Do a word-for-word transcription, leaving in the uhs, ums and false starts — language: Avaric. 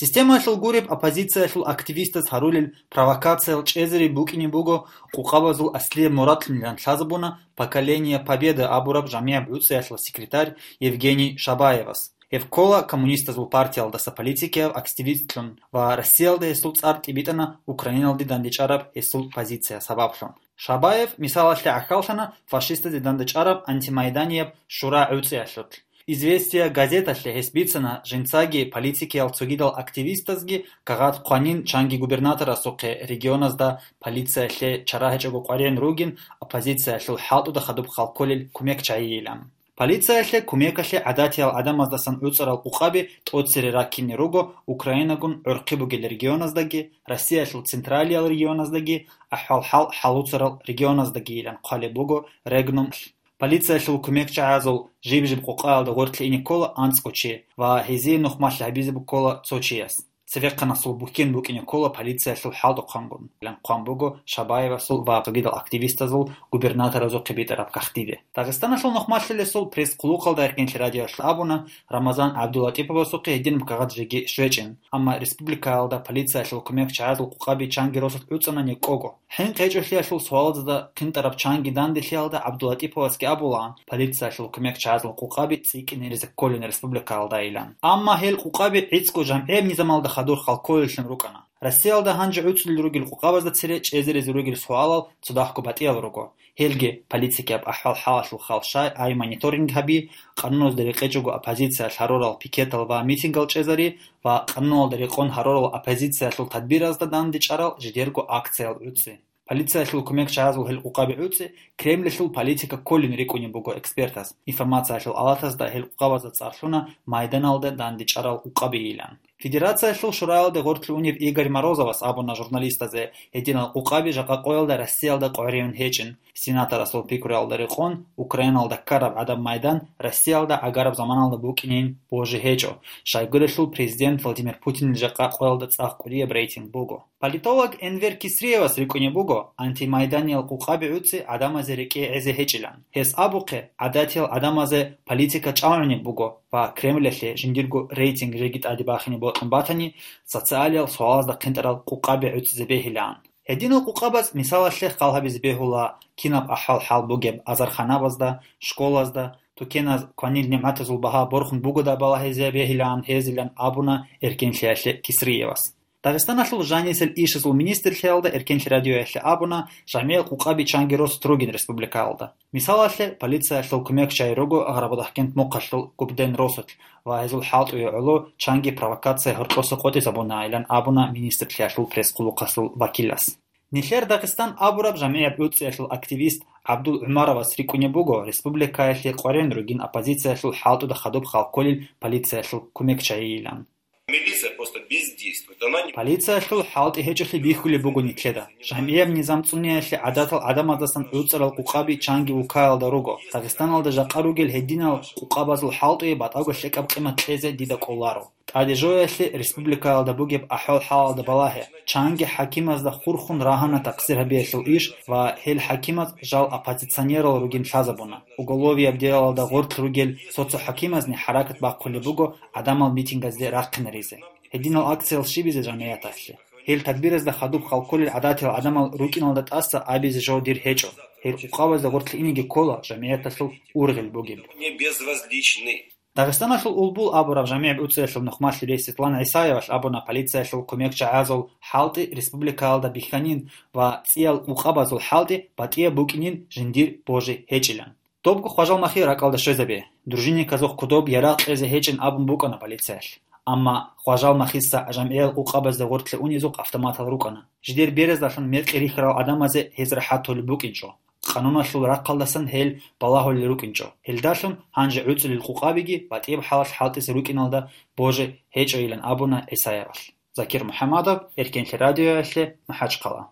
Системаялъул гуреб, оппозициялъул активистаз гьарулел провокациял чӀезари букӀине буго къукъабазул аслияб мурадлъунилан лъазабуна «Поколение Победы» абураб жамигӀаб гӀуцӀиялъул секретарь Евгений Шабаевас. Гьев ккола коммунистазул партиялдаса политикияв активистлъун ва Россиялда гьесул цӀар тӀибитӀана Украиналде дандечӀараб гьесул позиция сабаблъун. Шабаев мисалалъе гӀахьаллъана фашистазе дандечӀараб антимайданияб шура гӀуцӀиялъулъ. «Известия» газеталъе гьес бицана жинцаги политикиял цогидал активистазги кагъат хъванин чанги губернаторасухъе регионазда полициялъе чара гьечӀого къваригӀун ругин оппозициялъул хӀалтӀуда хадуб хал кколел кумекчагӀийилан. Полициялъе кумекалъе гӀадатиял гӀадамаздасан гӀуцӀарал къукъаби тӀоцере раккине руго Украинагун гӀурхъи бугел регионаздаги, Россиялъул централиял регионаздаги, ахӀвал-хӀал хӀалуцарал регионаздагийилан хъвалеб буго Регнум. Полициялъул кумекчагӀазул жиб-жиб къукъаялда гъоркье ине ккола анцӀго чи ва гьезие нухмалъи гьабизе буккола цо чияс. Цевехъанасул бухьен букӀине ккола полициялъул хӀалтӀухъангун, илан хъван буго Шабаевасул ва цогидал активистазул губернаторазухъе битӀараб кагътиде. Дагъистаналъул нухмалъилесул пресс-хъулухъалда Эркенлъи радиоялъ абуна, Рамазан ГӀабдулатӀиповасухъе гьединаб кагъат жеги щвечӀин, амма республикаялда полициялъул кумекчагӀазул къукъаби чанги росулъ гӀуцӀана некӀого. ХӀинкъи гьечӀолъиялъул суалазда хъинтӀараб чанги данделъиялда ГӀабдулатӀиповасги абулаан, полициялъул кумекчагӀазул къукъаби цӀикӀкӀине риза кколин республикаялдайилан. Амма гьел къукъаби гӀицӀго жамгӀияб низамалда хадур хал кколеллъун рукӀана. Россиялда гьанже гӀуцӀулел ругел къукъабазда цере чӀезаризе ругел суалал цадахъго батӀиял руго. Гьелги политикияб ахӀвал-хӀалалъул хал щай гьай мониторинг гьаби, къануналда рекъечӀого оппозициялъ гьарурал пикетал ва митингал чӀезари ва къануналда рекъон гьарурал оппозициялъул тадбиразда дандечӀарал жидерго акциял гӀуцӀи. Полициялъул кумекчагӀазул гьел къукъаби гӀуцӀи Кремльалъул политика кколин рикӀкӀунеб буго экспертаз. Информациялъул алатазда гьел къукъабазда цӀар лъуна майданалда дандечӀарал къукъабийилан. Федерациялъул шураялде гъоркье унев Игорь Морозовас абуна журналистазе, гьединал къукъаби жакъа къоялда Россиялда къваригӀун гьечӀин, сенаторасул пикруялда рекъон Украиналда ккараб гӀадаб майдан Россиялда гӀагараб заманалда букӀинин божи гьечӀо, щайгурелъул президент Владимир Путинил жакъа къоялда цӀакъ кӀудияб рейтинг буго. Политолог Энвер Кисриевас рикӀкӀунеб буго, антимайданиял къукъаби гӀуцӀи гӀадамазе рекӀее гӀезе гьечӀилан. Гьес абухъе, гӀадатиял гӀадамазе политика чӀалгӀунеб буго ва Кремльалъе жиндирго рейтинг жеги тӀаде бахине бокьун батани, социалиял суалазда хъинтӀарал къукъаби гӀуцӀизе бегьилаан. Гьединал къукъабаз мисалалъе хал гьабизе бегьула кинаб ахӀвал-хӀал бугеб азарханабазда, школазда, тукеназ кванил нигӀматазул багьа борхун бугода балагьизе бегьилаан гьезилан абуна Эркенлъиялъе Кисриевас. Дагъистаналъул жанисел ишазул министрлъиялда Эркенлъи радиоялъе абуна, жамгӀиял къукъаби чанги росулъ ругин республикаялда. Мисалалъе, полициялъул кумекчагӀи руго Гъарабудахъкент мухъалъул Губден росулъ ва гьезул хӀалтӀуе гӀоло чанги провокация гьоркьоса къотӀизабуна, илан абуна министрлъиялъул пресс-хъулухъалъул вакилас. Нилъер Дагъистан абураб жамгӀияб гӀуцӀиялъул активист ГӀабдул ГӀумаровас рикӀкӀунеб буго республикаялъе къваригӀун ругин оппозициялъул хӀалтӀуда хадуб хал кколел полициялъул кумекчагӀийилан. Милиция просто бездействует. Она не... Полициялъул хӀалтӀи гьечӀолъи бихьулеб буго нилъеда. ЖамгӀияб низам цӀуниялъе гӀадатал гӀадамаздасан гӀуцӀарал къукъаби чанги улкаялда руго. Дагъистаналда жакъа ругел гьединал къукъабазул хӀалтӀуе батӀаго лъикӀаб къимат кьезе дида кӀоларо. ТӀаде жоялъе республикаялда бугеб ахӀвал-хӀалалда балагье. Чанги хӀакимазда хурхун рагьана такъсир гьабиялъул иш ва гьел хӀакимаз жал оппозиционерал ругин лъазабуна. Уголовияб делалда гъоркь ругел цо-цо хӀакимазни хӀаракат бахъулеб буго гӀадамал митингазде рахъинаризе. Гьединал акциял щибизе жамгӀияталъе. Гьел тадбиразда хадуб хал кколел гӀадатиял гӀадамал рукӀиналда тӀаса абизе жо дир гьечӀо. Гьел къукъабазда гъоркье инеги ккола жамгӀияталъул ургъел бугеб. Не безразличны. Дагъистаналъул Улбул абураб жамигӀ буцӀиялъул нухмалъи рес Светлана ГӀисаевалъ абуна, полициялъул кумекчагӀазул хӀалтӀи республикаялда бихьанин ва цӀиял къукъабазул хӀалтӀи батӀияб букӀинин жиндир божи гьечӀилан. Добго хважал махи ракӀалда щвезабе. Дружинниказухъ кодоб ярагъ кьезе гьечӀин абун букӀана полициялъ. Амма хважал махиса жамигӀиял къукъабазда гъоркье унезухъ автоматал рукӀана. Жидер бераздалъун мекъи рихьарал гӀадамазе гьез рахӀат толеб букӀинчӀо. Къануналъул рахъалдасан гьел балагьулел рукӀинчӀо. Гьелдалъун гьанже гӀуцӀулел къукъабиги батӀияб хӀалалъ хӀалтӀизе рукӀиналда божи гьечӀойилан абуна ГӀисаевалъ. Закир МухӀамадов, Эркенлъи радиоялъе, МахӀачхъала.